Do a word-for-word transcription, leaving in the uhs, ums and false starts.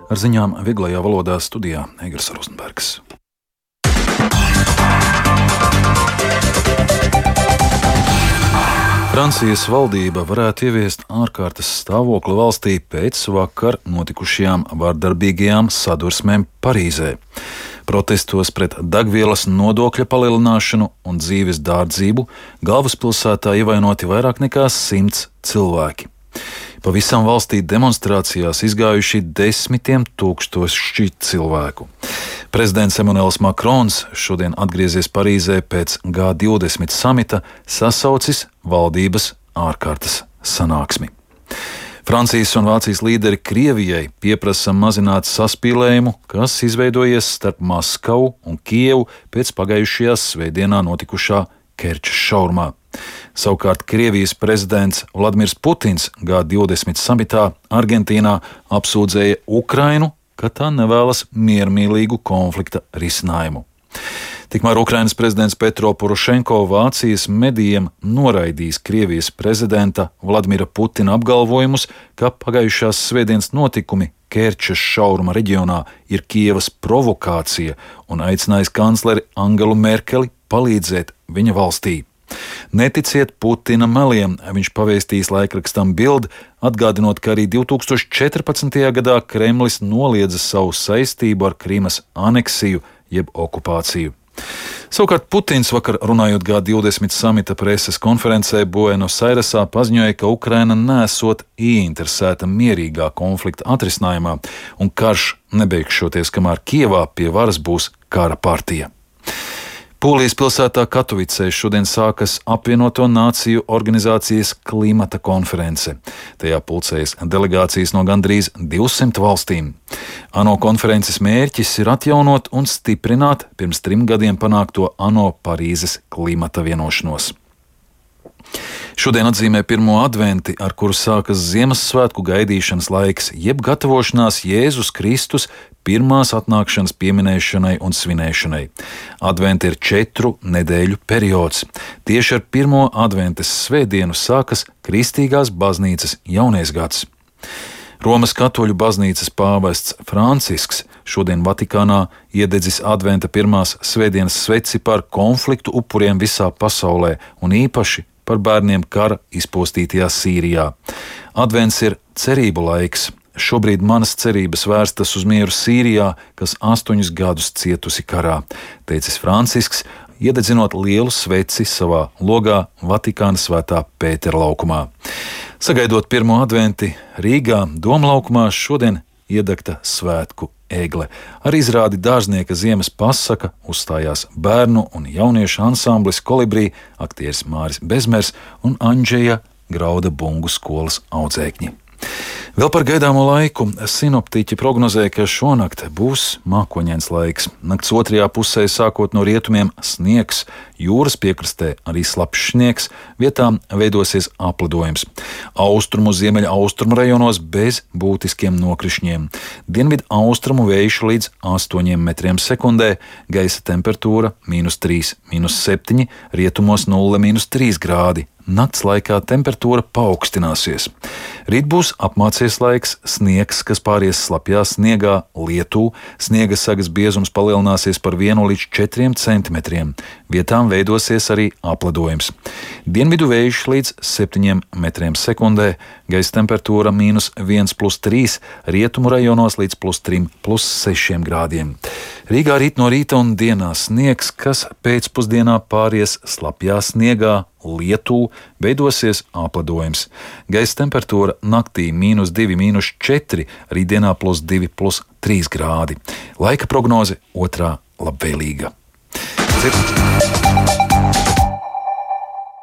Ar ziņām vieglajā valodā studijā Egers Rozenbergs. Francijas valdība varētu ieviest ārkārtas stāvokli valstī pēc vakar notikušajām vardarbīgajām sadursmēm Parīzē. Protestos pret degvielas nodokļa palielināšanu un dzīves dārdzību galvaspilsētā ievainoti vairāk nekā simts cilvēki. Pavisam valstī demonstrācijās izgājuši desmitiem tūkstoši cilvēku. Prezidents Emmanuels Makrons šodien atgriezies Parīzē pēc G divdesmit samita, sasaucis valdības ārkārtas sanāksmi. Francijas un Vācijas līderi Krievijai pieprasa mazināt saspīlējumu, kas izveidojies starp Maskavu un Kijevu pēc pagājušajā svētdienā notikušā Kerčas šaurumā. Savukārt Krievijas prezidents Vladimirs Putins G divdesmit samitā Argentīnā apsūdzēja Ukrainu, ka tā nevēlas miermīlīgu konflikta risinājumu. Tikmēr Ukrainas prezidents Petro Porošenko Vācijas medijiem noraidījis Krievijas prezidenta Vladimira Putina apgalvojumus, ka pagājušās svētdienas notikumi Kerčas šauruma reģionā ir Kijevas provokācija un aicinājis kancleri Angelu Merkeli palīdzēt viņa valstī. Neticiet Putina meliem, viņš pavēstījis laikrakstam Bild, atgādinot, ka arī divi tūkstoši četrpadsmitajā gadā Kremlis noliedza savu saistību ar Krimas aneksiju jeb okupāciju. Savukārt Putins vakar runājot G divdesmit samita preses konferencē Buenos Airesā paziņoja, ka Ukraina nesot ieinteresēta mierīgā konflikta atrisinājumā un karš nebeigšoties, kamēr Kijevā pie varas būs kara partija. Polijas pilsētā Katovicē šodien sākas apvienoto nāciju organizācijas klimata konference. Tajā pulcējas delegācijas no gandrīz divsimt valstīm. ANO konferences mērķis ir atjaunot un stiprināt pirms trim gadiem panākto ANO Parīzes klimata vienošanos. Šodien atzīmē pirmo adventi, ar kuru sākas Ziemassvētku gaidīšanas laiks, jeb gatavošanās Jēzus Kristus pirmās atnākšanas pieminēšanai un svinēšanai. Adventi ir četru nedēļu periods. Tieši ar pirmo adventes svētdienu sākas Kristīgās baznīcas jaunais gads. Romas katoļu baznīcas pāvests Francisks šodien Vatikānā iededzis adventa pirmās svētdienas sveci par konfliktu upuriem visā pasaulē un īpaši par bērniem kara izpostītajā Sīrijā. Advents ir cerību laiks. Šobrīd manas cerības vērstas uz mieru Sīrijā, kas astoņus gadus cietusi karā, teicis Francisks, iededzinot lielu sveci savā logā Vatikāna Svētā Pētera laukumā. Sagaidot pirmo adventi Rīgā Domlaukumā šodien iedegta svētku egle. Ar izrādi Dārznieka ziemas pasaka uzstājās bērnu un jauniešu ansamblis Kolibrī, aktieris Māris Bezmers un Andžeja Grauda bungu skolas audzēkņi. Vēl par gaidāmo laiku sinoptiķi prognozē, ka šonakt būs mākoņains laiks. Nakts otrajā pusē sākot no rietumiem sniegs, jūras piekrastē arī slapjš sniegs, vietām veidosies aplidojums. Austrumu ziemeļa austrumu rajonos bez būtiskiem nokrišņiem. Dienvidu austrumu vējš līdz astoņiem metriem sekundē, gaisa temperatūra mīnus trīs, mīnus septiņi, rietumos nulle, mīnus trīs grādi. Nakts laikā temperatūra paaugstināsies. Rīt būs apmācies laiks, sniegs, kas pāries slapjā sniegā, lietu, sniega sagas biezums palielināsies par vienu līdz četriem centimetriem. Vietām veidosies arī apledojums. Dienvidu vējš līdz septiņiem metriem sekundē, gaisa temperatūra mīnus viens plus trīs, rietumu rajonos līdz plus trim, plus sešiem grādiem. Rīgā rīt no rīta un dienā sniegs, kas pēcpusdienā pāries slapjā sniegā, lietu, veidosies apledojums. Gaisa temperatūra naktī mīnus divi, mīnus četri, rītdienā plus divi, plus trīs grādi. Laika prognoze otrā labvēlīga. Cir...